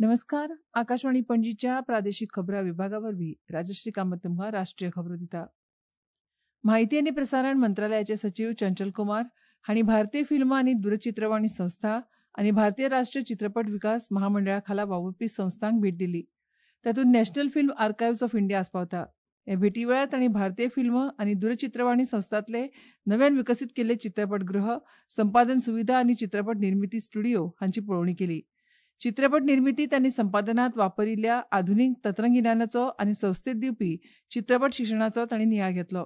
नमस्कार, आकाशवाणी पणजीच्या प्रादेशिक खबरां विभागा वरवीं राजश्री कामत तुमकां राष्ट्रीय खबरो दिता. म्हायती आनी प्रसारण मंत्रालयाचे सचीव चंचल कुमार हांणी भारतीय फिल्म आनी दूरचित्रवाणी संस्था आनी भारतीय राष्ट्रीय चित्रपट विकास महामंडळा खाला वावुरपी संस्थांक भेट दिली. तातूंत National Film Archives of India आस्पावता. हे भेटी वेळार तांणी भारतीय फिल्म आनी दूरचित्रवाणी संस्थांतले नव्यान विकसीत केल्ले चित्रपटगृह, संपादन सुविधा आनी चित्रपट निर्मिती स्टुडिओ हांची पळोवणी केली. चित्रपट निर्मितीत आनी संपादनांत वापरिल्ल्या आधुनीक तंत्रगिन्यानाचो आनी संस्थेत दिवपी चित्रपट शिक्षणाचो तांणी नियाळ घेतलो.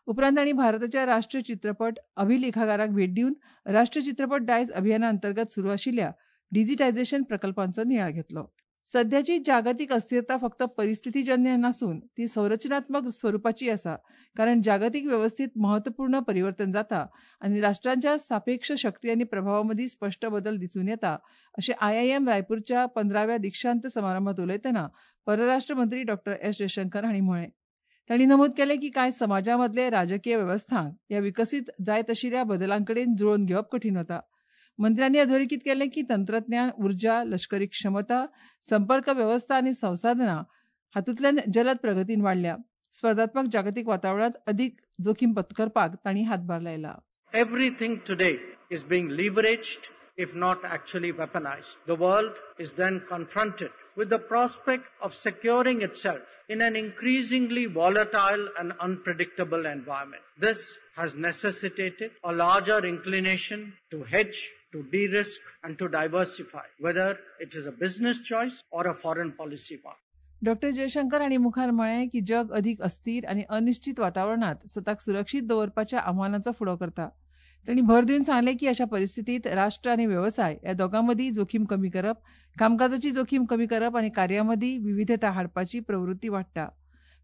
उपरांत तांणी भारताच्या राष्ट्रीय चित्रपट अभिलेखागाराक भेट दिवन राष्ट्रीय चित्रपट दायज अभियाना अंतर्गत सुरू आशिल्ल्या डिजिटायझेशन प्रकल्पांचो नियाळ घेतलो. सध्याची जागतिक अस्थिरता फक्त परिस्थितीजन्य नासून ती संरचनात्मक स्वरुपाची आसा, कारण जागतिक वेवस्थेत महत्वपूर्ण परिवर्तन जाता आनी राष्ट्रांच्या सापेक्ष शक्ती आनी प्रभावा मदीं स्पश्ट बदल दिसून येता अशें आयआयएम रायपूरच्या 15व्या दीक्षांत समारंभात उलयतना परराष्ट्र मंत्री डॉ एस जयशंकर हांणी म्हळें. तांणी नमूद केलें की कांय समाजामदले राजकीय वेवस्थांक ह्या विकसीत जायत आशिल्ल्या बदलांकडेन जुळोवन घेवप कठीण वता. मंत्र्यांनी अधोरेखीत केलें की तंत्रज्ञान, उर्जा, लष्करी क्षमता, संपर्क वेवस्था आनी संसाधनां हातूंतल्यान जलद प्रगतीन वाडल्या. स्पर्धात्मक जागतिक वातावरणांत अदीक जोखीम पत्करपाक तांणी हातभार लायला. Everything today is being leveraged, if not actually weaponized. The world is then confronted with the prospect of securing itself in an increasingly volatile and unpredictable environment. This has necessitated a larger inclination to hedge, to de-risk and to diversify, whether it is a business choice or a foreign policy one. Doctor Jaishankar हांणी मुखार म्हळें की जग अदीक अस्थिर आनी अनिश्चित वातावरणांत स्वताक सुरक्षीत दवरपाच्या आव्हानाचो फुडो करता. तांणी भर दिवन सांगलें की अशा परिस्थितीत राष्ट्र आनी वेवसाय ह्या दोगां मदीं जोखीम कमी करप, कामकाजाची जोखीम कमी करप आनी कार्यां मदीं विविधता हाडपाची प्रवृत्ती वाडटा.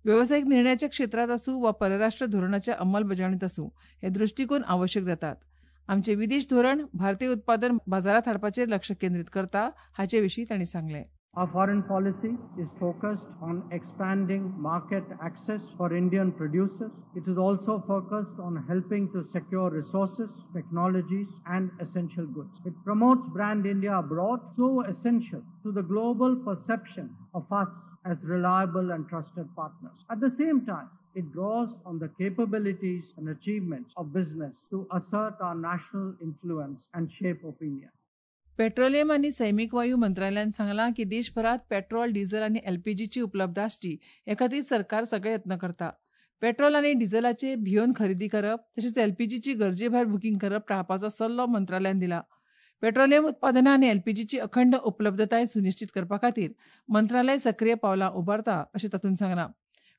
वेवसायीक निर्णयाच्या क्षेत्रांत आसूं वा परराष्ट्र धोरणाच्या अंमलबजावणीत आसूं, हे दृश्टीकोन आवश्यक जातात. आमचें विदेश धोरण भारतीय उत्पादन बाजारांत हाडपाचेर लक्ष केंद्रीत करता हाचे विशीं तांणी सांगलें. Our foreign policy is focused on expanding market access for Indian producers. It is also focused on helping to secure resources, technologies and essential goods. It promotes brand India abroad, so essential to the global perception of us as reliable and trusted partners. At the same time, it draws on the capabilities and achievements of business to assert our national influence and shape opinion. Petroleum आनी सैमीक वायू मंत्रालयान सांगलां की देशभरांत petrol, diesel आनी एलपीजीची उपलब्ध आसची हे खातीर सरकार सगळे यत्न करता. पेट्रोल आनी डिझलाचे भियोन खरेदी करप तशेंच एलपीजीची गरजेभायर बुकींग करप टाळपाचो सल्लो मंत्रालयान दिला. पेट्रोलियम उत्पादनां आनी एलपीजीची अखंड उपलब्धताय सुनिश्चित करपा खातीर मंत्रालय सक्रीय पावलां उबारता अशें तातूंत सांगलां.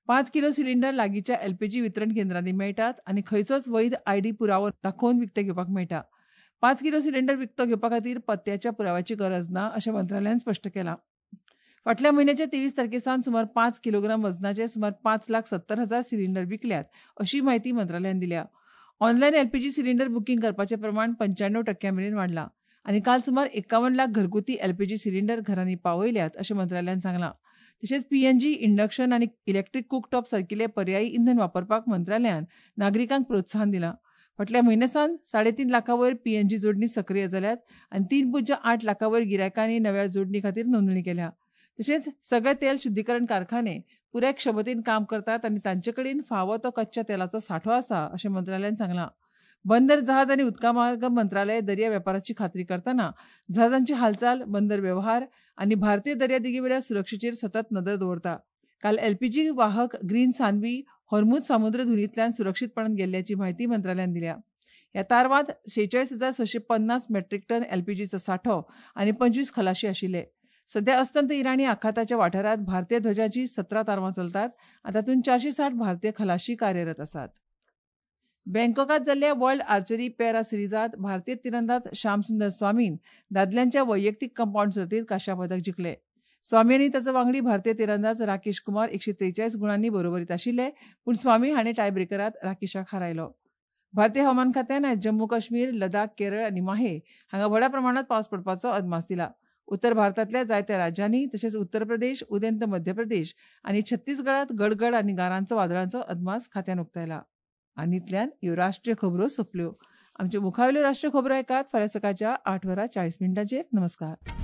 5 किलो सिलिंडर लागींच्या एलपीजी वितरण केंद्रांनी मेळटात आनी खंयचोच वैध आयडी पुरावो दाखोवन विकते घेवपाक मेळटा. 5 किलो सिलिंडर विकतो घेवपा खातीर पत्त्याच्या पुराव्याची गरज ना अशें मंत्रालयान स्पश्ट केलां. फाटल्या म्हयन्याच्या 23 तारखे सावन सुमार 5 किलोग्राम वजनाचे सुमार 5,70,000 सिलिंडर विकल्यात अशी म्हायती मंत्रालयान दिल्या. ऑनलायन एलपीजी सिलिंडर बुकींग करपाचें प्रमाण 95% मेरेन वाडलां आनी काल सुमार 51 लाख घरगुती एलपीजी सिलिंडर घरांनी पावयल्यात अशें मंत्रालयान सांगलां. तशेंच पीएनजी, इंडक्शन आनी इलेक्ट्रीक कुकटॉप सारकिले पर्यायी इंधन वापरपाक मंत्रालयान नागरिकांक प्रोत्साहन दिलां. फाटल्या म्हयन्या सावन 3.5 लाखां वयर पीएनजी जोडणी सक्रीय जाल्यात आनी 3.8 लाखां वयर गिरायकांनी नव्या जोडणी खातीर नोंदणी केल्या. तशेंच सगळे तेल शुद्धीकरण कारखाने पुराय क्षमतेन काम करतात आनी तांचे कडेन फावो तो कच्च्या तेलाचो सांठो आसा अशें मंत्रालयान सांगलां. बंदर, जहाज आनी उदका मार्ग मंत्रालय दर्या वेपाराची खात्री करतना जहाजांची हालचाल, बंदर वेव्हार आनी भारतीय दर्यादेगेवेल्या सुरक्षेचेर सतत नदर दवरता. काल एलपीजी वाहक ग्रीन सानवी होर्मुझ सामुद्रधुनींतल्यान सुरक्षीतपणान गेल्ल्याची म्हायती मंत्रालयान दिल्या. ह्या तारवांत 46,650 मेट्रीक टन एलपीजीचो सांठो आनी 25 खलाशी आशिल्ले. सध्या अस्तंत इराणी आखाताच्या वाठारांत भारतीय ध्वजाची 17 तारवां चलतात आनी तातूंत 460 भारतीय खलाशी कार्यरत आसात. बँकॉकात जाल्ल्या वर्ल्ड आर्चरी पॅरा सिरिजांत भारतीय तिरंदाज श्यामसुंदर स्वामीन दादल्यांच्या वैयक्तीक कंपाउंड सर्तीत कांश्या पदक जिखलें. स्वामी आनी ताचो वांगडी भारतीय तिरंदाज राकेश कुमार 143 गुणांनी बरोबरीत आशिल्ले, पूण स्वामी हाणें टायब्रेकरांत राकेशाक हारायलो. भारतीय हवामान खात्यान आयज जम्मू काश्मीर, लडाख, केरळ आनी माहे हांगा व्हडा प्रमाणांत पावस पडपाचो अदमास दिला. उत्तर भारतांतल्या जायत्या राज्यांनी तशेंच उत्तर प्रदेश, उदेंत मध्य प्रदेश आनी छत्तीसगडात गडगड आनी गारांचो वादळांचो अदमास खात्यान उक्तायला. आनी इतल्यान ह्यो राष्ट्रीय खबरो सोंपल्यो. आमच्यो मुखावेल्यो राष्ट्रीय खबरो आयकात फाल्यां सकाळच्या 8:40. नमस्कार.